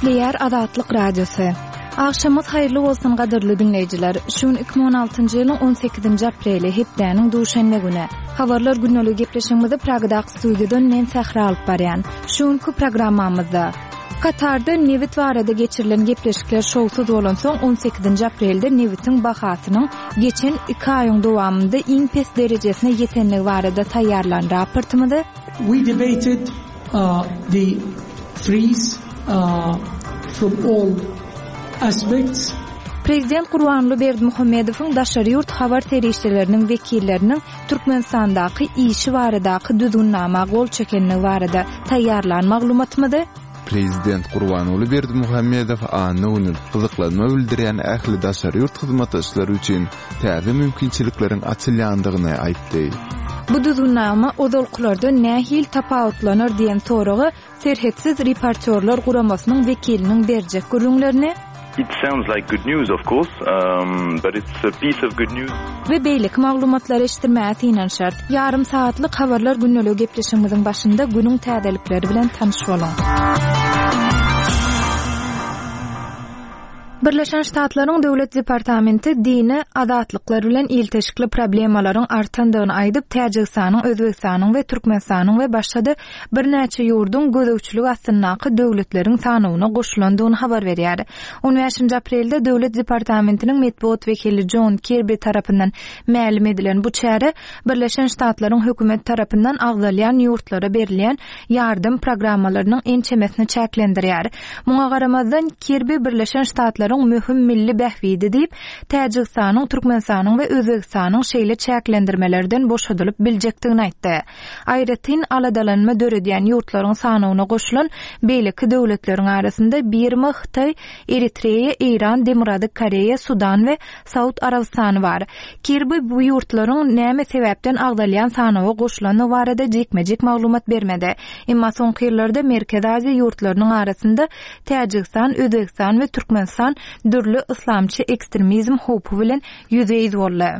Gepleýär Azatlyk Radiosy. Agşamyňyz haýyrly bolsun gadyrly diňleýjiler. Şu gün 2016-njy ýylyň 18-nji apreli, hepdäniň duşenbe güni. Habarlar gündeligi gepleşigimizi Pragadaky studiýadan men Sähra alyp barýan. Şu günki programmamyzda Katarda nebit barada geçirilen gepleşikler şowsuz bolansoň, 18-nji aprelde nebitiň bahasynyň geçen iki aýyň dowamynda iň pes derejesine ýetendigi barada taýýarlan raportymyzy, We debated the freeze from all aspects. Prezident Gurbanguly Berdimuhamedowyň daşary ýurt habar serişdeleriniň wekilleriniň Türkmenistandaky işi baradaky düzgünnama gol çekenligi barada taýýarlan maglumatymyzy, Prezident Gurbanguly Berdimuhamedow anna güni gyzyklanma bildirýän ähli daşary ýurt hyzmatdaşlary üçin täze mümkinçilikleriň açylýandygyny aýtdy. Bu düzgünnama ozalkylardan nähili tapawutlanar diýen soraga Serhetsiz reportýorlar guramasynyň wekiliniň berjek gürrüňlerini, It sounds like good news of course, but it's a piece of good news. We beýleki maglumatlary eşitdirmäge synanyşarys. Ýarym sagatlyk Habarlar gündeligi gepleşigimiziň başynda günüň täzelikleri bilen tanyş boluň. Birleşen Ştatlaryň Döwlet departamenti dini azatlyklar bilen ilteşikli problemalaryň artandygyny aýdyp, Täjigistanyň, Özbegistanyň we Türkmenistanyň we başga-da birnäçe ýurduň gözegçilik astyndaky döwletleriň sanawyna goşulandygyny habar berýär. On bäşinji aprelde Döwlet departamentiniň metbugat wekili Jon Kirbi tarapyndan mälim edilen bu çäre Birleşen Ştatlaryň hökümeti tarapyndan agzalýan ýurtlara berilýän ýardam programmalarynyň ençemesini çäklendirýär. Muňa garamazdan, Kirbi Birleşen Ştatlaryň möhüm milli bähbidi diýip, Täjigistanyň, Türkmenistanyň we Özbegistanyň şeýle çäklendirmelerden boşadylyp biljekdigini aýtdy. Aýratyn aladalanma döredýän ýurtlaryň sanawyna goşulan beýleki döwletleriň arasynda Birma, Hytaý, Eritreýa, Eýran, Demirgazyk Koreýa, Sudan we Saud Arabystany bar. Kirbi bu ýurtlaryň näme sebäpden agzalýan sanawa goşulandygy barada jikme-jik maglumat bermedi. Emma soňky ýyllarda Merkezi Aziýa ýurtlarynyň arasynda Täjigistan, Özbegistan we Türkmenistan dürli yslamçy ekstremizm howpy bilen ýüzbe-ýüz boldy.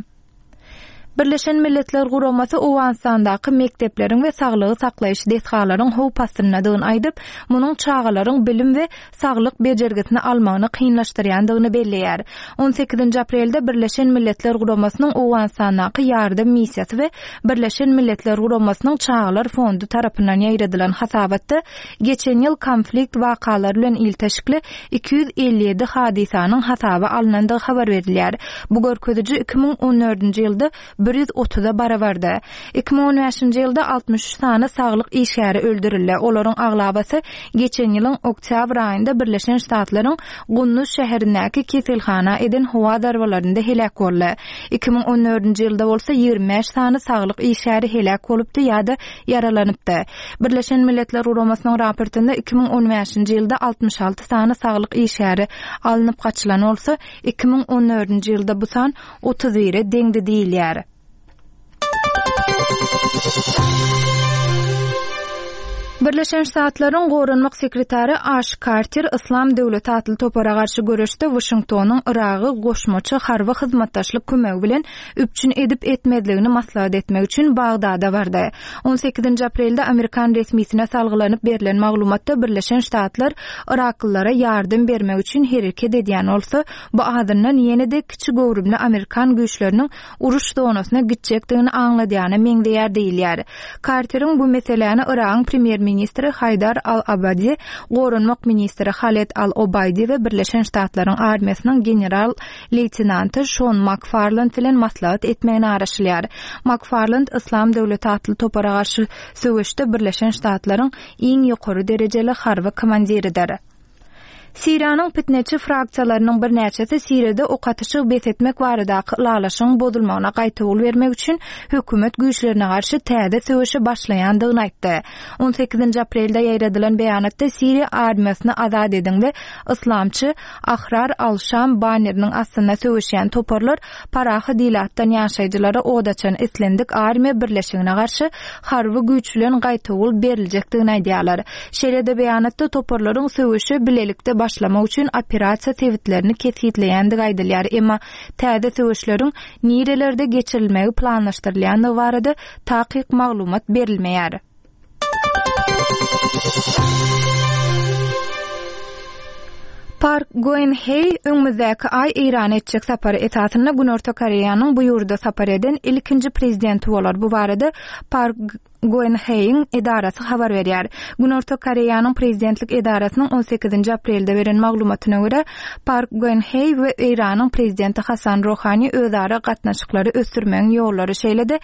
Birleşen Milletler Guramasy Owganystandaky mekdepleriň we saglygy saklaýyş desgalaryň howp astyndadygyny aýdyp, munuň çagalaryň bilim we saglyk bejergisini almagyny kynlaşdyrýandygyny belleýär. On sekizinji aprelde Birleşen Milletler Guramasynyň Owganystandaky ýardam missiýasy we Birleşen Milletler Guramasynyň Çagalar fondy tarapyndan ýaýradylan hasabatda geçen ýyl konflikt wakalary bilen ilteşikli 257 hadysanyň hasaba alnandygy habar berilýär. Bu görkeziji 2014-nji ýylda 130-a barabardy. 2015-nji ýylda 63 sany saglyk işgäri öldürildi, olaryň aglabasy geçen ýylyň oktýabr aýynda Birleşen Ştatlaryň Gunduz şäherindäki keselhana eden howa zarbalarynda heläk boldy. 2014-nji ýylda bolsa 25 sany saglyk işgäri heläk bolupdy ýa-da ýaralanypdy. Birleşen Milletler Guramasynyň raportynda 2015-nji ýylda 66 sany saglyk işgäri alnyp gaçylan bolsa, 2014-nji ýylda bu san 31-e deňdi diýilýär. Birleşen Ştatlaryň Goranmak sekretary Aş Karter Yslam döwleti atly topara garşy göreşde Waşingtonyň Yragy goşmaça harby hyzmatdaşlyk kömegi bilen üpjün edip-etmezligini maslahat etmek üçin Bagdada bardy. On sekizinji aprelde amerikan resmisine salgylanyp berlen maglumatda Birleşen Ştatlar yraklylara ýardam bermek üçin hereket edýän bolsa, bu azyndan ýene-de kiçi göwrümli amerikan güýçleriniň uruş zonasyna gitjekdigini aňladýana meňzeýär diýilýär. Karteriň bu meseläni Yragyň premýer-ministri Haýdar al-Abadi, goranmak ministri Haled al-Obaýdi we Birleşen Ştatlaryň armiýasynyň general-leýtenanty Şon Makfarland bilen maslahat etmegine garaşylýar. Makfarland Yslam döwleti atly topara garşy söweşde Birleşen Ştatlaryň iň ýokary derejeli harby komandiridir. Siriýanyň pitneçi fraksiýalarynyň birnäçesi Siriýada ok atyşygy bes etmek baradaky ylalaşygyň bozulmagyna gaýtawul bermek üçin hökümet güýçlerine garşy täze söweşe başlaýandygyny aýtdy. On sekizinji aprelde ýaýradylan beýanatda Siriýa armiýasyny azat ediň we yslamçy Ahrar al-Şam banneriniň astynda söweşýän toparlar parahat ilatdan ýaşaýjylara od açan islendik armiýa birleşigine garşy harby güýç bilen gaýtawul beriljekdigini aýdýarlar. Şeýle-de beýanatda toparlaryň söweşe bilelikde başlamak üçin operasiýa sebitlerini kesgitleýändigi aýdylýar, emma täze söweşleriň nirelerde geçirilmegi planlaşdyrylýandygy barada takyk maglumat berilmeýär. Park Goen-heý öňümizdäki aý Eýrana etjek sapary esasynda Günorta Koreýanyň bu ýurda sapar eden ilkinji prezidenti bolar. Bu barada Park Goen-heýiň edarasy habar berýär. Günorta Koreýanyň prezidentlik edarasynyň on sekizinji aprelde beren maglumatyna görä, Park Goen-heý we Eýranyň prezidenti Hasan Rohani özara gatnaşyklary ösdürmegiň ýollary, şeýle-de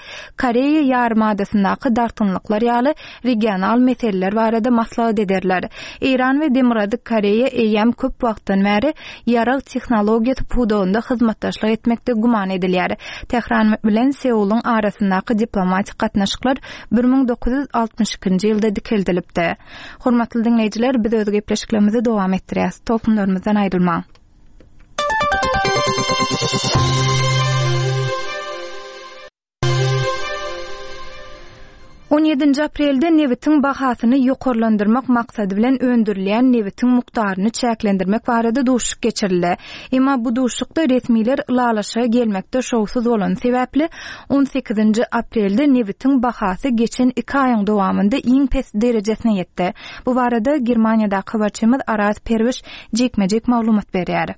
Koreýa ýarymadasyndaky dartgynlyklar ýaly regional meseleler barada maslahat ederler. Eýran we Demirgazyk Koreýa eýýäm köp wagtdan bäri ýarag tehnologiýasy pudagynda hyzmatdaşlyk etmekde güman edilýär. Tähran bilen Seulyň arasyndaky diplomatik gatnaşyklar 1962-nji ýylda dikeldilipdi. Hormatly diňleýjiler, biz öz gepleşiklerimizi dowam etdirýäris. Tolkunlarymyzdan aýrylmaň. On ýedinji aprelde nebitiň bahasyny ýokarlandyrmak maksady bilen öndürilýän nebitiň mukdaryny çäklendirmek barada duşuşyk geçirildi. Emma bu duşuşykda resmiler ylalaşyga gelmekde şowsuz bolany sebäpli, on sekizinji aprelde nebitiň bahasy geçen iki aýyň dowamynda iň pes derejesine ýetdi. Bu barada Germaniýadaky habarçymyz Araz Perwiş jikme-jik maglumat berýär.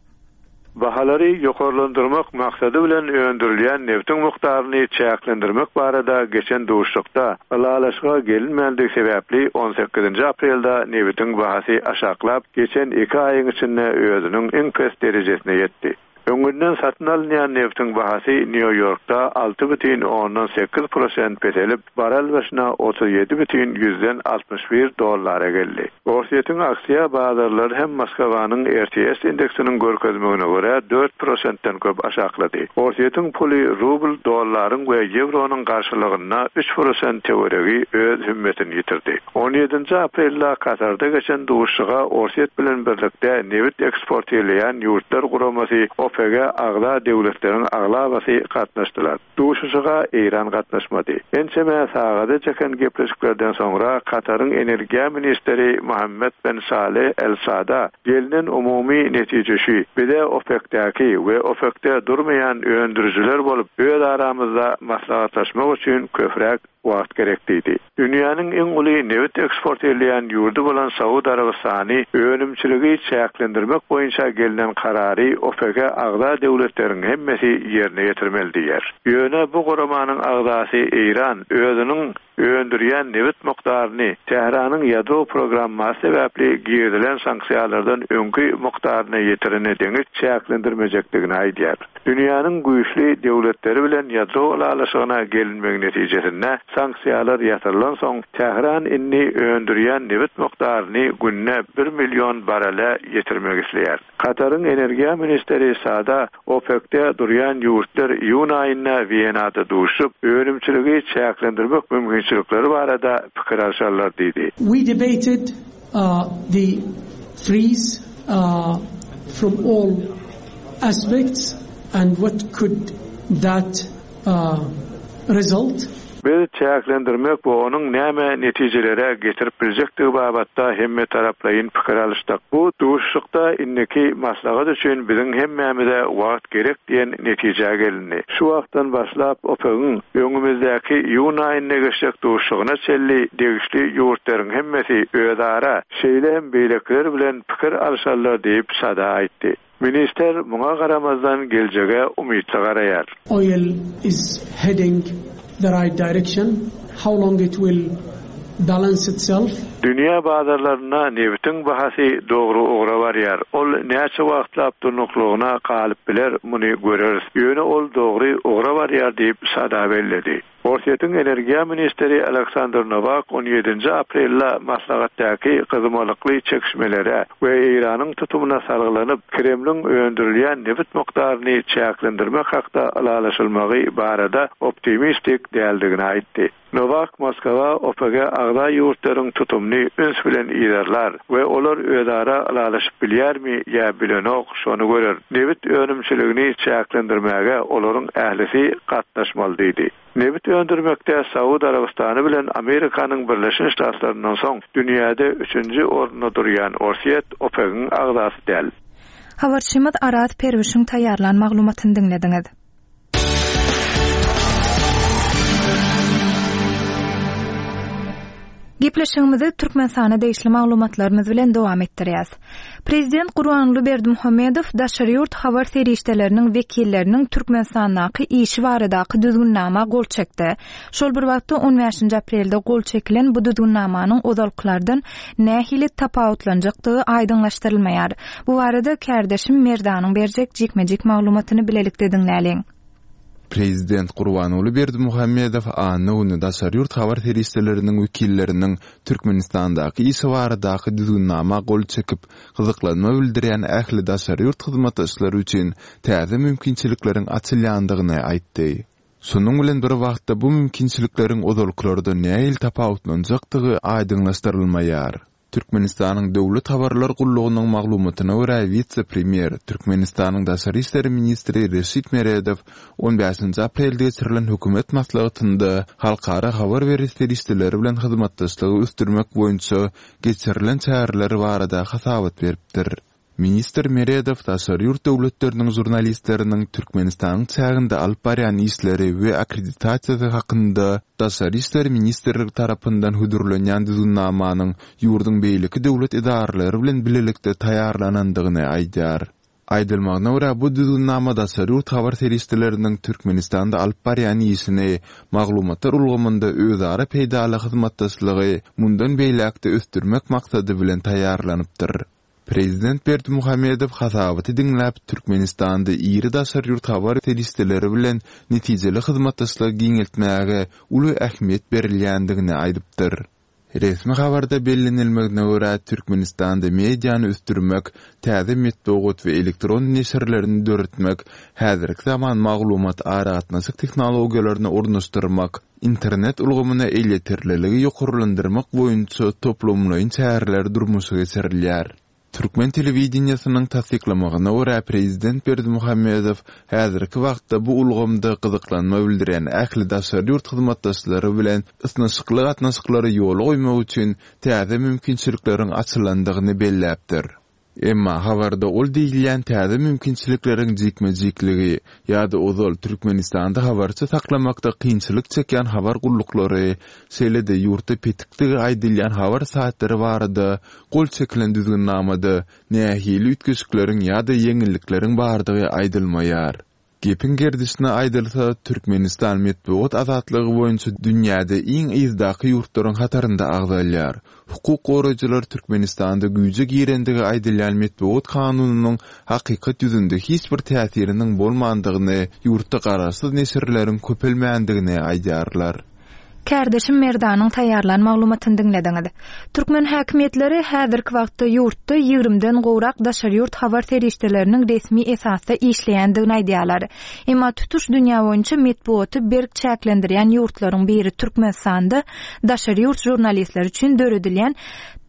Bahalary ýokarlandyrmak maksady bilen öndürilýän nebtiň mukdaryny çäklendirmek barada geçen duşuşykda ylalaşyga gelinmändigi sebäpli on sekizinji aprelde nebitiň bahasy aşaklap, geçen iki aýyň içinde özüniň iň pes derejesine ýetdi. Öňünden satyn alynýan nebtiň bahasy Nýu-Ýorkda 6,8 prosent peselip, barrel başyna 37,61 dollara geldi. Orsýetiň aksiýa bazarlary hem Moskwanyň RTS indeksiniň görkezmegine görä, dört prosentden köp aşaklady. Orsýetiň puly rubl dollaryň we ýewronyň garşylygynda üç prosent töweregi öz hümmetini ýitirdi. On ýedinji aprelde Katarda geçen duşuşyga Orsýet bilen birlikde nebit eksportirleýän ýurtlar guramasy OPEC-e agza döwletleriň aglabasy gatnaşdylar. Duşuşyga Eýran gatnaşmady. Ençeme sagada çeken gepleşiklerden soňra Kataryň energiýa ministri Mohammed ben Saleh El Sada gelnen umumy netije şu, bize OPEC-däki we OPEC-de durmaýan öndürijiler bolup öz aramyzda maslahatlaşmak üçin köpräk wagt gerek diýdi. Dünýäniň iň uly nebit eksport edýän ýurdy bolan Saud Arabystany önümçiligi çäklendirmek boýunça gelnen karary OPEC-e agza döwletleriň hemmesi ýerine ýetirmeli diýýär. Ýöne bu guramanyň agzasy Eýran özüniň öndürýän nebit mukdaryny Tähranyň ýadro programmasy sebäpli girizilen sanksiýalardan öňki mukdaryna ýetirene deňiç çäklendirmejekdigini aýdýar. Dünýäniň güýçli döwletleri bilen ýadro ylalaşygyna gelinmegi netijesinde sanksiýalar ýatyrylansoň, Tähran indi öndürýän nebit mukdaryny günde bir million barrele ýetirmek isleýär. Kataryň energiýa ministri Sada OPEC-de durýan ýurtlar iýun aýynda Wenada duşup, önümçiligi çäklendirmek mümkinçilikleri barada pikir alşarlar diýdi. We debated the freeze from all aspects and what could that result? Biz çäklendirmek we onuň näme netijelere getirip biljekdigi babatda hemmetaraplaýyn pikir alyşdyk. Bu duşuşykda indiki maslahat üçin biziň hemmämize wagt gerek diýen netijä gelindi. Şu wagtdan başlap OPEC-iň öňümizdäki iýun aýynda geçjek duşuşygyna çenli degişli ýurtlaryň hemmesi özara, şeýle hem beýlekiler bilen pikir alşarlar diýip, Sada aýtdy. Ministr muňa garamazdan geljege umytly garaýar. Oil is heading the right direction, how long it will balance itself? Dünýä bazarlarynda nebitiň bahasy dogry ugra barýar. Ol näçe wagtlap durnuklygyna galyp biler, muny göreris. Ýöne ol dogry ugra barýar diýip, Sada belledi. Orsýetiň energiýa ministri Aleksandr Nowak on ýedinji aprelde maslahatdaky gyzmalykly çekişmelere we Eýranyň tutumyna salgylanyp, Kremliň öndürilýän nebit mukdaryny çäklendirmek hakda ylalaşylmagy barada optimistik däldigini aýtdy. Nowak Moskwa OPEC-e agza ýurtlaryň tutumyny üns bilen yzarlar we olar özara ylalaşyp bilýärmi ýa bilenok, şony görer. Nebit önümçiligini çäklendirmäge olaryň ählisi gatnaşmaly diýdi. Nebit öndürmekde Saud Arabystany bilen Amerikanyň Birleşen Ştatlaryndan soň dünýäde üçünji orunda durýan Orsýet OPEC-iň agzasy däl. Habarçymyz Araz Perwişiň taýýarlan maglumatyny diňlediňiz. Gepleşigimizi Türkmenistana degişli maglumatlarymyz bilen dowam etdirýäs. Prezident Gurbanguly Berdimuhamedow daşary ýurt habar serişdeleriniň wekilleriniň Türkmenistandaky işi baradaky düzgünnama gol çekdi. Şol bir wagtda on bäşinji aprelde gol çekilen bu düzgünnamanyň ozalkylardan nähili tapawutlanjakdygy aýdyňlaşdyrylmaýar. Bu barada kärdeşim Merdanyň berjek jikme-jik maglumatyny bilelikde diňläliň. Prezident Gurbanguly Berdimuhamedow anna güni daşary ýurt habar serişdeleriniň wekilleriniň Türkmenistandaky işi baradaky düzgünnama gol çekip, gyzyklanma bildirýän ähli daşary ýurt hyzmatdaşlary üçin täze mümkinçilikleriň açylýandygyny aýtdy. Şonuň bilen bir wagtda bu mümkinçilikleriň ozalkylardan nähili tapawutlanjakdygy aýdyňlaşdyrylmaýar. Türkmenistanyň Döwlet habarlar gullugynyň maglumatyna görä, wise-premýer, Türkmenistanyň daşary işler ministri Reşit Meredow on bäşinji aprelde geçirilen hökümet maslahatynda halkara habar beriş serişdeleri bilen hyzmatdaşlygy ösdürmek boýunça geçirilen çäreler barada hasabat beripdir. Ministr Meredow daşary ýurt döwletleriniň žurnalistleriniň Türkmenistanyň çäginde alyp barýan işleri we akkreditasiýasy hakynda Daşary işler ministrligi tarapyndan hödürlenýän düzgünnamanyň ýurduň beýleki döwlet edaralary bilen bilelikde taýýarlanandygyny aýdýar. Aýdylmagyna görä, bu düzgünnama daşary ýurt habar serişdeleriniň Türkmenistanda alyp barýan işini, maglumatlar ulgamynda özara peýdaly hyzmatdaşlygy mundan beýläk-de ösdürmek maksady bilen taýýarlanypdyr. Prezident Berdimuhamedow hasabaty diňläp, Türkmenistanda iri daşary ýurt habar serişdeleri bilen netijeli hyzmatdaşlygy giňeltmäge uly ähmiýet berilýändigini aýdypdyr. Resmi habarda bellenilmegine görä, Türkmenistanda mediany ösdürmek, täze metbugat we elektron neşirlerini döretmek, häzirki zaman maglumat-aragatnaşyk tehnologiýalaryny ornaşdyrmak, Internet ulgamyna elýeterliligi ýokarlandyrmak boýunça toplumlaýyn çäreler durmuşa geçirilýär. Türkmen telewideniýesiniň tassyklamagyna görä, prezident Berdimuhamedow häzirki wagtda bu ulgamda gyzyklanma bildirýän ähli daşary ýurt hyzmatdaşlary bilen ysnyşykly gatnaşyklary ýola goýmak üçin täze mümkinçilikleriň açylandygyny belläpdir. Emma habarda ol diýilýän täze mümkinçilikleriň jikme-jikligi ýa-da ozal Türkmenistanda habarçy saklamakda kynçylyk çekýän habar gulluklary, şeýle-de ýurtda petikdigi aýdylýan habar saýtlary barada gol çekilen düzgünnamada nähili üýtgeşikleriň ýa-da ýeňillikleriň bardygy aýdylmaýar. Gepiň gerdişine aýdylsa, Türkmenistan metbugat azatlygy boýunça dünýäde iň yzdaky ýurtlaryň hatarynda agzalýar. Hukuk goraýjylar Türkmenistanda güýje girendigi aýdylýan metbugat kanunynyň hakykat ýüzünde hiç bir täsiriniň bolmandygyny, ýurtda garaşsyz neşirleriň köpelmändigini aýdýarlar. Kärdeşim Merdanyň taýýarlan maglumatyny diňlediňiz. Türkmen häkimiýetleri häzirki wagtda ýurtda ýigrimden gowrak daşary ýurt habar serişdeleriniň resmi esasda işleýändigini aýdýarlar. Emma tutuş dünýä boýunça metbugaty berk çäklendirýän ýurtlaryň biri Türkmenistanda daşary ýurt žurnalistleri üçin döredilýän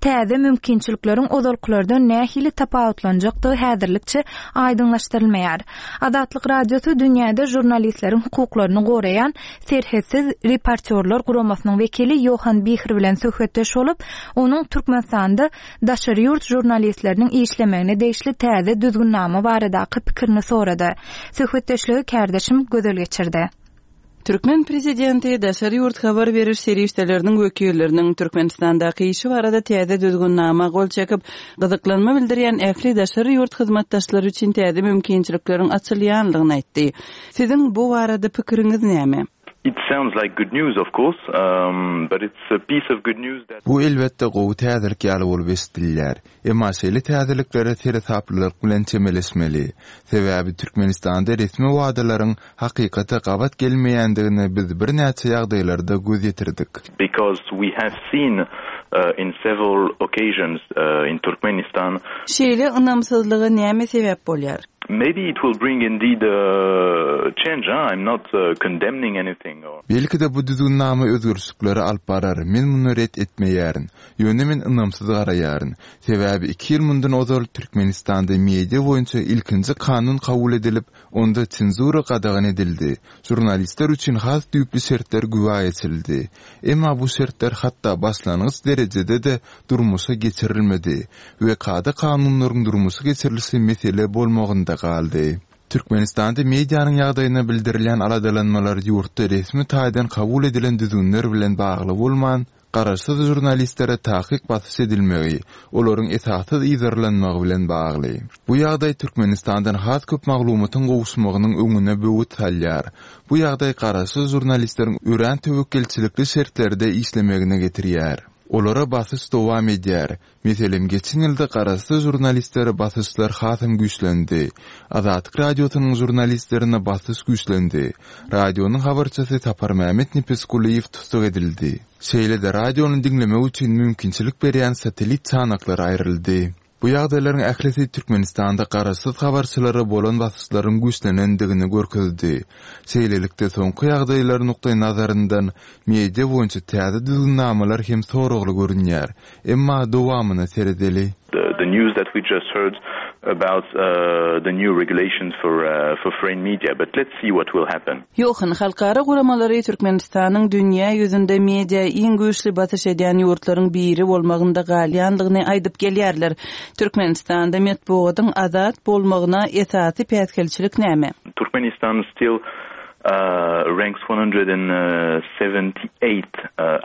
täze mümkinçilikleriň ozalkylardan nähili tapawutlanjakdygy häzirlikçe aýdyňlaşdyrylmaýar. Azatlyk Radiosy dünýäde žurnalistleriň hukuklaryny goraýan Serhetsiz reportýorlar guramasynyň wekili Ýohan Bihr bilen söhbetdeş bolup, onuň Türkmenistanda daşary ýurt žurnalistleriniň işlemegine degişli täze düzgünnama baradaky pikirini sorady. Söhbetdeşligi kärdeşim Gözel geçirdi. Türkmen prezidenti daşary ýurt habar beriş serişdeleriniň wekilleriniň Türkmenistandaky işi barada täze düzgünnama gol çekip, gyzyklanma bildirýän ähli daşary ýurt hyzmatdaşlary üçin täze mümkinçilikleriň açylýandygyny aýtdy. Siziň bu barada pikiriňiz näme? It sounds like good news of course, but it's a piece of good news that. Bu elbetde gowy täzelik ýaly bolup eşidilýär. Emma şeýle täzeliklere seresaplylyk bilen çemeleşmeli. Sebäbi Türkmenistanda resmi wadalaryň hakykata gabat gelmeýändigine biz birnäçe ýagdaýlarda göz ýetirdik. Because we have seen in several occasions in Turkmenistan. Şeýle ynamsyzlyga näme sebäp bolýar? Maybe it will bring indeed a change, huh? I'm not condemning anything or. Belki-de bu düzgünnama özgerişliklere alyp barar, men muny ret etmeýärin. Ýöne men ynamsyz garaýaryn. Sebäbi iki ýyl mundan ozal Türkmenistanda media boýunça ilkinji kanun kabul edilip, onda senzura gadagan edildi, žurnalistler üçin has düýpli şertler güwä geçirildi. Emma bu şertler hatda başlangyç derejede-de durmuşa geçirilmedi we kada-kanunlaryň durmuşa geçirilişi mesele bolmagynda galdy. Türkmenistanda medianyň ýagdaýyna bildirilýän aladalanmalar ýurtda resmi taýdan kabul edilen düzgünler bilen bagly bolman, garaşsyz žurnalistlere takyk basyş edilmegi, olaryň esassyz yzarlanmagy bilen bagly. Bu ýagdaý Türkmenistandan has köp maglumatyň gowuşmagynyň öňüne böwet salýar. Bu ýagdaý garaşsyz žurnalistleriň örän töwekgelçilikli şertlerde işlemegine getirýär. Olara basyş dowam edýär. Meselem, geçen ýylda garaşsyz žurnalistlere basyşlar hasam güýçlendi. Azatlyk Radiosynyň žurnalistlerine basyş güýçlendi. Radionyň habarçysy Saparmämmet Nepesgulyýew tussag edildi. Şeýle-de radiony diňlemek üçin mümkinçilik berýän satellit çanaklary aýryldy. Bu ýagdaýlaryň ählisi Türkmenistanda garaşsyz habarçylara bolan basyşlaryň güýçlenendigini görkezdi. Şeýlelikde, soňky ýagdaýlar nukdaýnazaryndan media boýunça täze düzgünnamalar hem soragly görünýär. Emma dowamyna seredeli. The news that we just heard about the new regulations for for foreign media but let's see what will happen. Ýohan, halkara guramalary Türkmenistanyň dünýä ýüzünde media iň güýçli basyş edýän ýurtlaryň biri bolmagynda galýandygyny aýdyp gelýärler. Türkmenistanda metbugatyň azat bolmagyna esasy päsgelçilik näme? Turkmenistan still ranks 178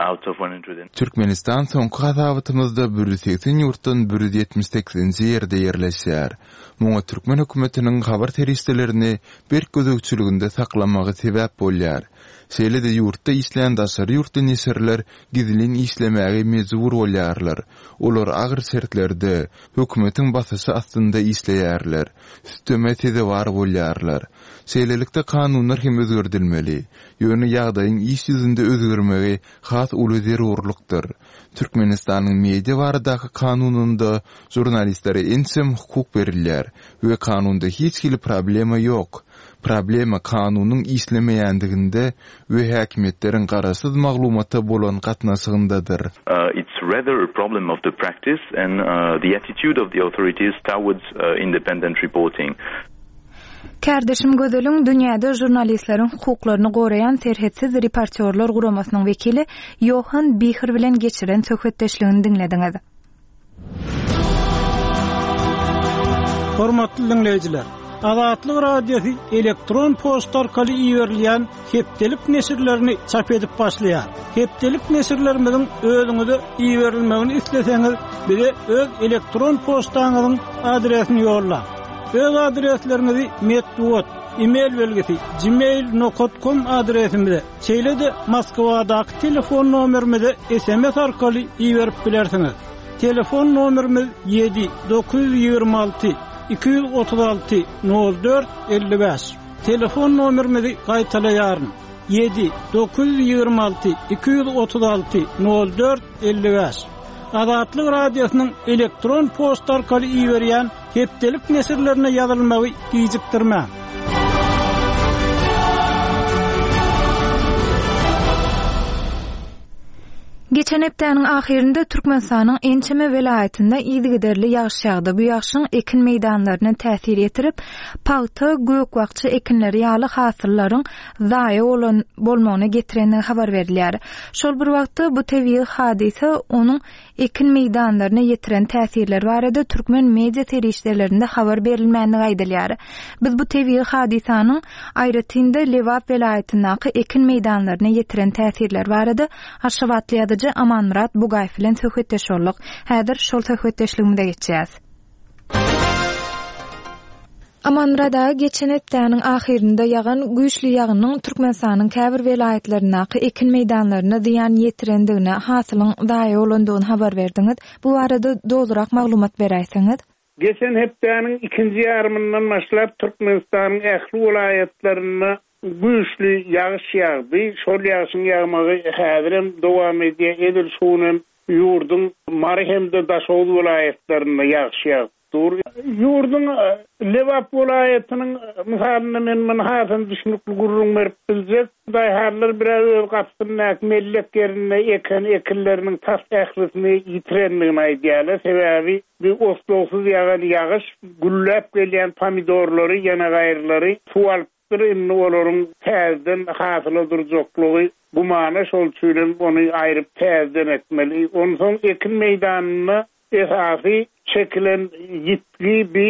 out of 100. Türkmenistan soňky hasabatymyzda 180 ýurtdan 178-nji ýerde ýerleşýär. Muňa türkmen hökümetiniň habar serişdelerini berk gözegçiliginde saklamagy sebäp bolýar. Şeýle-de ýurtda işleýän daşary ýurtly neşirler gizlin işlemäge mejbur bolýarlar. Olar agyr şertlerde, hökümetiň basyşy astynda işleýärler, süteme sezewar bolýarlar. Şeýlelikde kanunlar hem özgerdilmeli. Ýöne ýagdaýyň iş ýüzünde özgermegi has uly zerurlykdyr. Türkmenistanyň Media baradaky kanunynda žurnalistlere ençeme hukuk berilýär we kanunda hiç hili problema ýok. Problema kanunyň işlemeýändiginde we häkimiýetleriň garaşsyz maglumata bolan gatnaşygyndadyr. It's rather a problem of the practice and the attitude of the authorities towards independent reporting. Kärdeşim Gözeliň dünýäde žurnalistleriň hukuklaryny goraýan Serhetsiz reportýorlar guramasynyň wekili Ýohan Bihr bilen geçiren söhbetdeşligini diňlediňiz. Hormatly diňleýjiler! Azatlyk Radiosy elektron poçta arkaly iberilýän hepdelik neşirlerini çap edip başlaýar. Hepdelik neşirlerimiziň özüňize iberilmegini isleseňiz, bize öz elektron poçtaňyzyň adresini ýollaň. Öz adresleriňizi metbugat, e-mail belgisi, gmail nokat kom adresimize, şeýle-de Moskwadaky telefon nomerimize sms arkaly iberip bilersiňiz. Telefon nomerimiz ýedi, 926 236 04 55. Telefon nomerimizi gaýtalaýaryn, ýedi, 926 236 04 55. Azatlyk Radiosynyň elektron poçta arkaly iberýän Hepdelik neşirlerine ýazylmagy gijikdirmäň. Geçen hepdäniň ahyrynda Türkmenistanyň ençeme welaýatynda yzygiderli ýagyş ýagdy. Bu ýagşyň ekin meýdanlaryna täsir ýetirip, pagta, gök-bakja ekinleri ýaly hasyllaryň zaýa bolan bolmagyna getirendigi habar berilýär. Şol bir wagtda, bu tebigy hadysa onuň ekin meýdanlaryna ýetiren täsirleri barada türkmen media serişdelerinde habar berilmändigi aýdylýar. Biz bu tebigy hadysanyň, aýratyn-da, Lebap welaýatyndaky ekin meýdanlaryna ýetiren täsirleri barada aşgabatly ýazyjy Amanmyrat Bugaýew bilen söhbetdeş bolduk. Häzir şol söhbetdeşligimize geçýäs. Amanmyrat aga, geçen hepdäniň ahyrynda ýagan güýçli ýagynyň Türkmenistanyň käbir welaýatlaryndaky ekin meýdanlaryna zyýan ýetirendigini, hasylyň zaýa bolandygyny habar berdiňiz. Bu barada dolurak maglumat beräýseňiz? Geçen hepdäniň ikinji ýarymyndan başlap Türkmenistanyň ähli welaýatlarynda güýçli ýagyş ýagdy. Şol ýagşyň ýagmagy häzirem dowam edýär. Edil şu gün hem ýurduň Mary hem-de Daşoguz welaýatlarynda ýagyş ýagyp dur. Ýurduň Lebap welaýatynyň mysalynda men muny hasam düşnükli gürrüň berip biljek. Daýhanlar bir-ä öz gapysyndaky mellek ýerinde eken ekinleriniň tas ählisini ýitirendigini aýdýarlar. Sebäbi bu oslagsyz ýagan ýagyş gülläp gelýän pomidorlary, ýanagaýrylary suw alypdyr. Indi olaryň täzeden hasyla durjaklygy gümana, şol üçinem ony aýryp täzeden ekmeli. Onsoň ekin meýdanynda Esasy çekilen ýitgi bi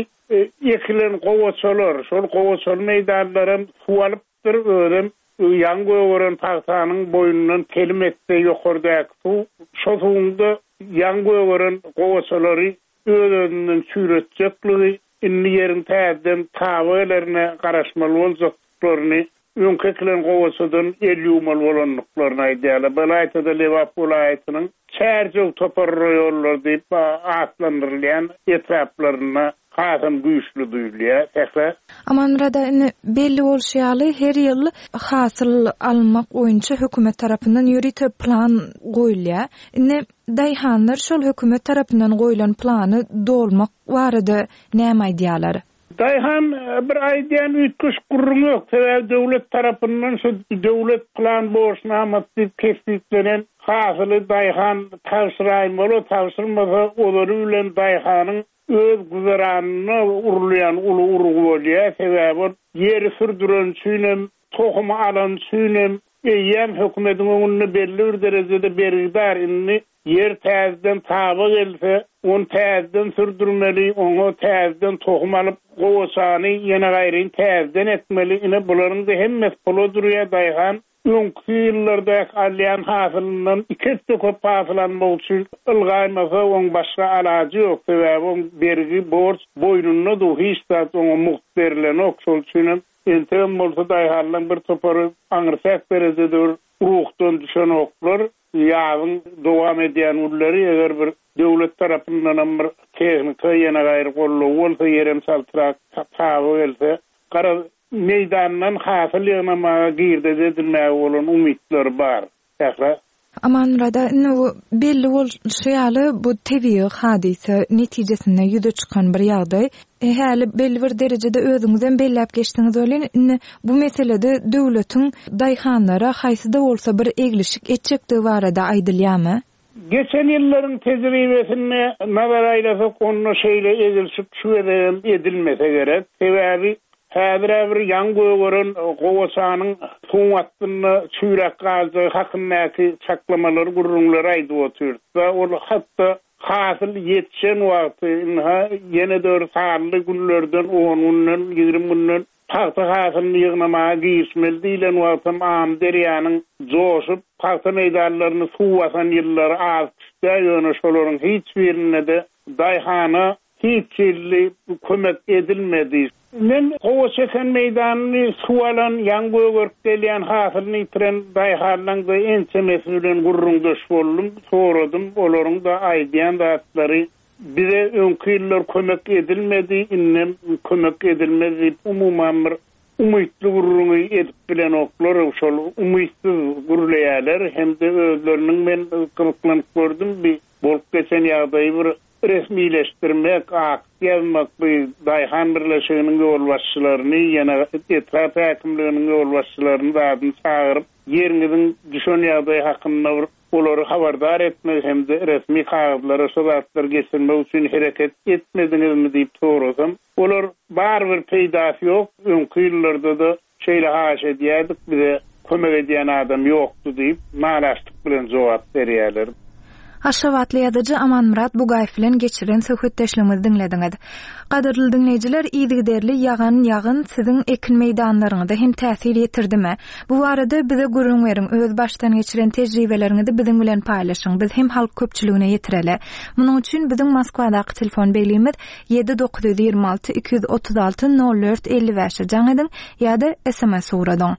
ekilen gowaçalar, şol gowaçaly meýdanlaram suw alypdyr, özem ýaňy gögeren pagtanyň boýundan telim etse ýokardaky suw, şo suwuň-da ýaňy gögeren gowaçalary öz-özünden çüýretjekligi, indi ýeriň täzeden taba gelerine garaşmaly boljakdyklaryny, öňki ekilen gowaçadan el ýuwmaly bolandyklaryny aýdýarlar. Belaýtada Lebap welaýatynyň Çärjew topar raýonlary diýip atlandyrylýan etraplarynda hasam güýçli duýulýar. Sähra. Amanmyrat aga, indi belli bolşy ýaly, her ýyl hasyl almak boýunça hökümet tarapyndan ýörite plan goýulýar. Indi daýhanlar şol hökümet tarapyndan goýlan plany dolmak barada näme aýdýarlar? Daýhan bir aýdýan üýtgeşik gürrüň ýok. Sebäbi döwlet tarapyndan şu döwlet plan borçnamasy diýip kesgitlenen hasyly daýhan tabşyraýmaly, tabşyrmasa ozaly bilen daýhanyň öz güzeranyna urulýan uly urgy bolýar. Sebäbi ol ýeri sürdüreni üçinem, tohumy alany üçinem eýýäm hökümediň öňünde belli bir derejede bergidar. Indi Ýer täzeden taba gelse, ony täzeden sürdürmeli, oňa täzeden tohum alyp, gowaçany ýene gaýryn täzeden ekmeli. Ine, bularyň-da hemmesi pula durýar. Daýhan öňki ýyllardaky alýan hasylyndan iki esse köp hasyl almak üçin ylgaýmasa, oň başga alajy ýok. Sebäbi oň bergi, borç boýnunda dur, hiç zat oňa mugt berilenok. Şol üçinem entegem bolsa daýhanlaryň bir topary aňryçäk derejede bir ruhdan düşenoklar. Ýazyň dowam edýän günleri eger bir döwlet tarapyndanam bir tehnika ýene gaýry goldaw bolsa, ýerem çaltrak taba gelse, garaz, meýdandan hasyl ýygnamaga, girdeji edinmäge bolan umytlary bar. Sähra. Amanmyrat aga, indi bu belli bolşy ýaly, bu tebigy hadysa netijesinde ýüze çykan bir ýagdaý. Häli belli bir derejede özüňizem belläp geçdiňiz welin, indi bu meselede döwletiň daýhanlara haýsy-da bolsa bir eglişik etjekdigi barada aýdylýarmy? Geçen ýyllaryň tejribesine nazar aýlasak, onda şeýle eglişik şu gezegem edilmese gerek. Sebäbi häzir-ä bir ýaňy gögeren gowaçanyň suwuň astynda çüýräp galjagy hakyndaky çaklamalary, gürrüňleri aýdyp otyrys-da. Ol hat-da Hasyl ýetişen wagty, ynha, ýene-de bir sanly günlerden, on günden, 20 günden pagta hasylyny ýygnamaga girişmeli diýlen wagtam Amyderýanyň joşup, pagta meýdanlaryny suw basan ýyllary az däl, ýöne şolaryň hiç birinde-de daýhana Hiç hili kömek edilmedi. Men gowaça eken meýdanyny suw alan, ýaňy gögerip gelýän hasylyny ýitiren daýhanlaň-da ençemesi bilen gürrüňdeş boldum, soradym. Olaryň-da aýdýan zatlary, Bize öňki ýyllar kömek edilmedi, indem kömek edilmez diýip, umuman bir umytly gürrüňi edip bilenoklar, şol umytsyz gürleýärler hem-de özleriniň men gyzyklanyp gördüm, bi bolup geçen ýagdaýy bir Resmileşdirmek, akt ýazmak bu daýhan birleşiginiň ýolbaşçylaryny, ýene etrap häkimliginiň ýolbaşçylaryny zadyny çagyryp, ýeriňiziň düşen ýagdaýy hakynda bir olary habardar etmek hem-de resmi kagyzlara şo zatlary geçirmek üçin hereket etmediňizmi diýip sorasam, olar barybir peýdasy ýok, öňki ýyllarda-da Şeýle haýyş edýärdik, bize kömek edýän adam ýokdy diýip, nalaçlyk bilen jogap berýärler. Aşgabatly ýazyjy Amanmyrat Bugaýew bilen geçiren söhbetdeşligimizi diňlediňiz. Gadyrly diňleýjiler, yzygiderli ýagan ýagyn siziň ekin meýdanlaryňyza hem täsir ýetirdimi? Bu barada bize gürrüň beriň, öz başdan geçiren tejribeleriňizi biziň bilen paýlaşyň, biz hem halk köpçüligine ýetireli. Munuň üçin biziň Moskwadaky telefon belgimiz 7 926 236 04 55-e jaň ediň ýa-da sms ugradyň.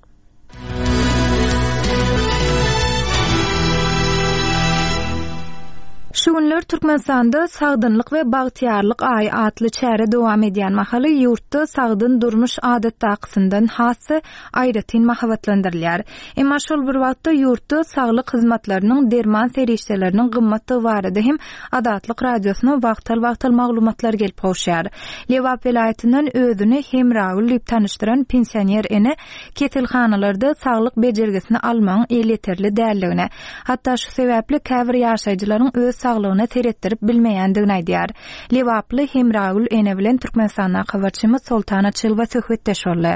Şu günler Türkmenistanda Sagdynlyk we bagtyýarlyk aýy atly çäre dowam edýän mahaly ýurtda sagdyn durmuş adatdakysyndan has-da aýratyn mahabatlandyrylýar. Emma şol bir wagtda ýurtda saglyk hyzmatlarynyň, derman serişdeleriniň gymmatdygy barada hem Azatlyk Radiosyna wagtal-wagtal maglumatlar gelip gowuşýar. Lebap welaýatyndan özüni Hemragül diýip tanyşdyran pensioner ene keselhanalarda saglyk bejergisini almagyň elýeterli däldigini, hatda şu sebäpli käbir ýaşaýjylaryň öz saglygyna seretdirip bilmeýändigini aýdýar. Lebaply Hemragül ene bilen Türkmenistandaky habarçymyz Soltan Açylowa söhbetdeş boldy.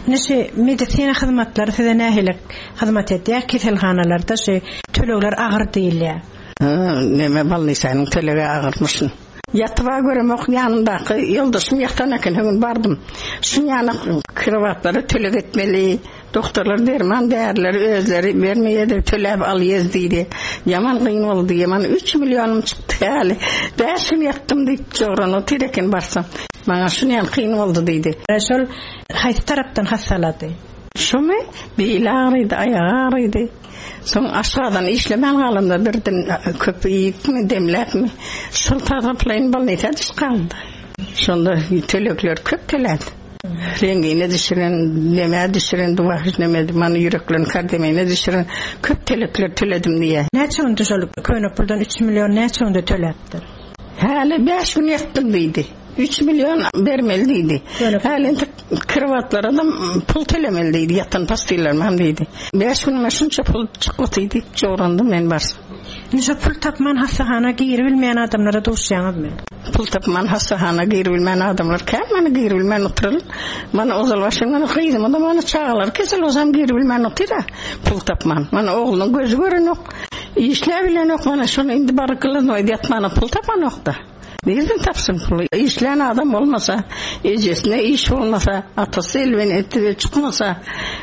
Indi şu medisina hyzmatlary size nähili hyzmat edýär? Keselhanalarda şu tölegler agyr diýilýär. Hä, neme bolnisanyň tölegi agyrmyşyn. Ýatyba göremok, ýanymdaky ýoldaşym ýatan eken, her gün bardym. Şuň ýaly krowatlara töleg etmeli. Doktorlar derman därileri özleri bermeýärdi, töläp alýas diýdi. Ýaman kyn boldy diýýär. Mana üç millionym çykdy häli. Bäş gün ýatdym diýip jogran otyr eken barsam. Maňa şunýaly kyn boldy diýdi. Şol haýsy tarapdan hassalady? Şumy? Beli agrydy, aýagy agrydy. Soň aşgazany işlemän galanda birden köp iýipmi, demläpmi, şol taraplaýyn bolnisa düşüp galdy. Şonda tölegler köp tölädi. Rengine düşüren, nemä düşüren, duwahyş neme, mana ýüreklerini kardemine düşüren köp tölegler töledim diýýär. Näçe günde şol köne puldan üç million näçe günde töläpdir? Häli bäş gün ýatdym diýdi. Üç million bermeli diýdi. Häli entek krowatlara-da pul tölemeli diýdi, ýatan postillerim hem diýdi. Bäş günüme şunça pul çykgyty diýip jograndym men barsam. Indi şo pul tapman hassahana giribilmeýän adamlara duşýaňyzmy? Pul tapman hassahana giribilmän adamlar kän mana giribilmän oturyl. Mana ozal başym mana gyzyma-da mana çagalary kesel bolsam giribilmän otyr-a pul tapman. Mana oglunyň gözi görenok, işläbilenok mana şony indi baryp glaznoýda ýatmana pul tapanok-da. Nirden tapsyn puly? Işlän adam bolmasa, ejesine iş bolmasa, atasy elben etdige çykmasa,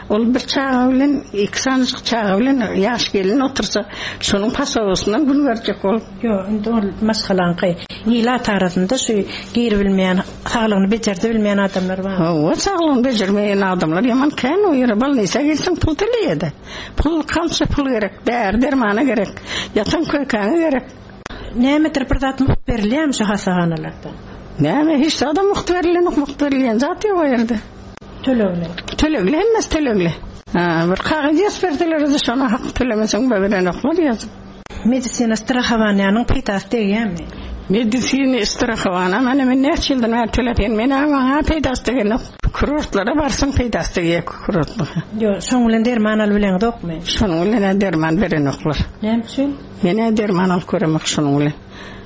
ol bir çaga bilen, iki sanyjyk çaga bilen ýaş gelin otursa, şonuň pasobasyndan gün görjek bolup. Ýok, indi ol maşgalaňky. Ilat arasynda şu giribilmeýän, saglygyny bejerdibilmeýän adamlar bar. Hawa, saglygyny bejermeýän adamlar ýaman kän o ýere bolnisa girseň pul töleýär-de. Pul, kança pul gerek, däri-dermana gerek, ýatan köýkäňe gerek. Nämedir bir zat mugt berilýärmi şu hassahanalarda? Näme, hiç zadam mugt berilenok, mugt berilýän zat ýok o ýerde. Tölegli. Tölegli, hemmesi tölegli. Ha, bir kagyz ýazyp berseler-de şona hak tölemeseň berenoklar ýazyp. Medisina strahowaniýanyň peýdasy degýärmi? Medisina strahowana mana men näçe ýyldan bäri töläp ýörün, men-ä maňa peýdasy degenok. Kurortlara barsaň peýdasy degýär kurortlara. Ýok, şoň bilen derman alybileňzokmy? Şonuň bilen-ä derman berenoklar. Näme üçin? Men-ä derman alyp göremok şunuň bilen.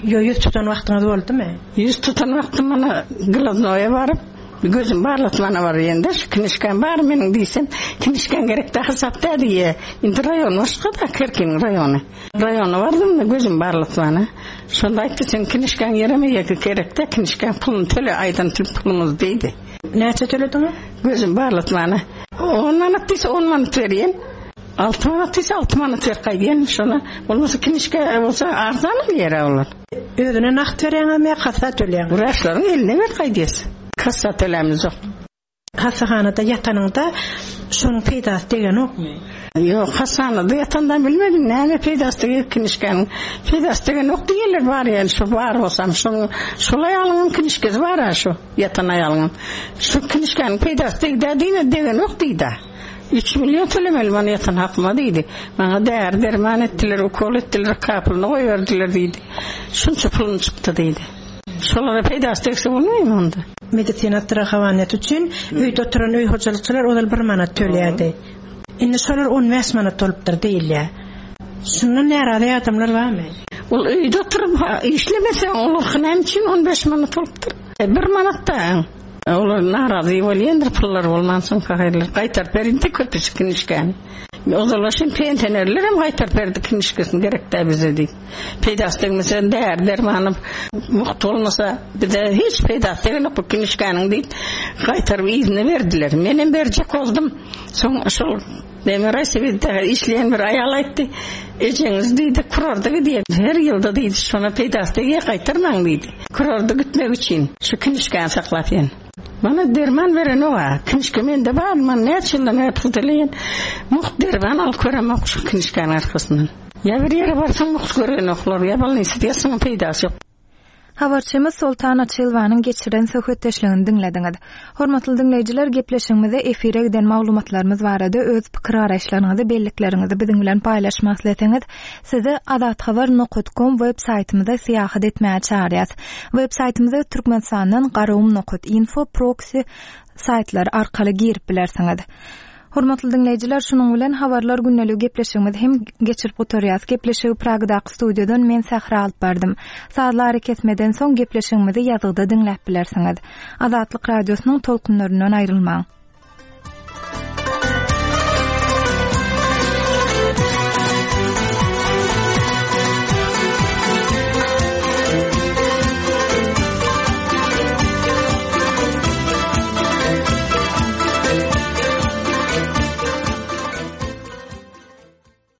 Ýo, ýüz tutan wagtyňyz boldumy? Ýüz tutan wagtym mana glaznoýa baryp, gözüm barlatmana barýan-da, şu kinişkam bar meniň diýsem, kinişkaň gerek-dä hasap dä diýýä. Indi raýon başga-da, Kerkiniň raýony. Raýona bardym-da gözüm barlatmana. Şonda aýtdy, seň kinişkaň ýeremeýä gerek-dä, kinişkaň puluny töle, aýdan pulumyzy diýdi. Näçe tölediňiz? Gözüm barlatmana. On manat diýse, on manat berýän. Alty manat diýse alty manat berip gaýdýan şona. Bolmasa kinişke bolsa arzan alýar olar. Özüne nagt berýäňizmi ýa kassa töleýäňizmi? Wraçlaryň eline berip gaýdýas. Kassa tölämiz ýok. Hassahanada ýatanyňda şonuň peýdasy degenokmy? Ýok, hassahanada ýatanda bilmedim näme peýdasy deger kinişkäniň. Peýdasy degenok diýýärler bar ýaly şo bar bolsam şonuň şol aýalyňam kinişkesi bar-a şo ýatan aýalyňam. Şu kinişkäniň peýdasy degdä diýme degenok diýdä. Üç million tölemeli mana ýatan hakyma diýdi. Maňa däri-derman etdiler, ukol etdiler, kapylyny goýberdiler diýdi. Şunça pulum çykdy diýdi. Şolara peýdasy degse bolmaýmy onda? Medisina strahowaniýasy üçin öýde oturan öý hojalykçylar ozal bir manat töleýärdi. Indi şolar on bäş manat bolupdyr diýilýär. Şundan närazy adamlar barmy? Ol öýde oturyp işlemese olarky näme üçin on bäş manat bolupdyr? Bir manat-da. Olar narazy bolýandyr pullary bolmansoň pahyrylar gaýtaryp berindi köpüsi kinişkäni. Ozal şem pensionerler hem gaýtaryp berdi kinişkesini gerek däl bize diýip. Peýdasy degmese däri dermany mugt bolmasa bize hiç peýdasy degenok bu kinişkäniň diýip gaýtaryp yzyna berdiler. Menem berjek boldum. Soň şol Demir Aýsebitde işleýän bir aýal aýtdy, Ejeňiz diýdi, kurorda gidýär. Her ýylda diýdi, şona peýdasy degýär, gaýtarmaň diýdi. Kurorda gitmek üçin şu kinişkäni saklap ýen. Mana derman berenok-a. Kinişke mende bar, mana näçe ýyldan bäri pul töleýän. Mugt derman alyp göremok şu kinişkäniň arkasyndan. Ýa bir ýere barsaň mugt görenoklar, ýa bolnisada ýatsaň peýdasy ýok. Habarçymyz Soltan Açylowanyň geçiren söhbetdeşligini diňlediňiz. Hormatly diňleýjiler, gepleşigimizde efire giden maglumatlarymyz barada öz pikir-garaýyşlaryňyzy, bellikleriňizi biziň bilen paýlaşmak isleseňiz, sizi azathabar nokat kom web saýtymyza syýahat etmäge çagyrýas. Web saýtymyza Türkmenistandan garagum nokat info proksi saýtlary arkaly girip bilersiňiz. Hormatly diňleýjiler, şunuň bilen Habarlar gündeligi gepleşigimizi hem geçirip gutarýas. Gepleşigi Pragadaky studiýadan men Sähra alyp bardym. Sazly arakesmeden soň gepleşigimizi ýazgyda diňläp bilersiňiz. Azatlyk Radiosynyň tolkunlaryndan aýrylmaň.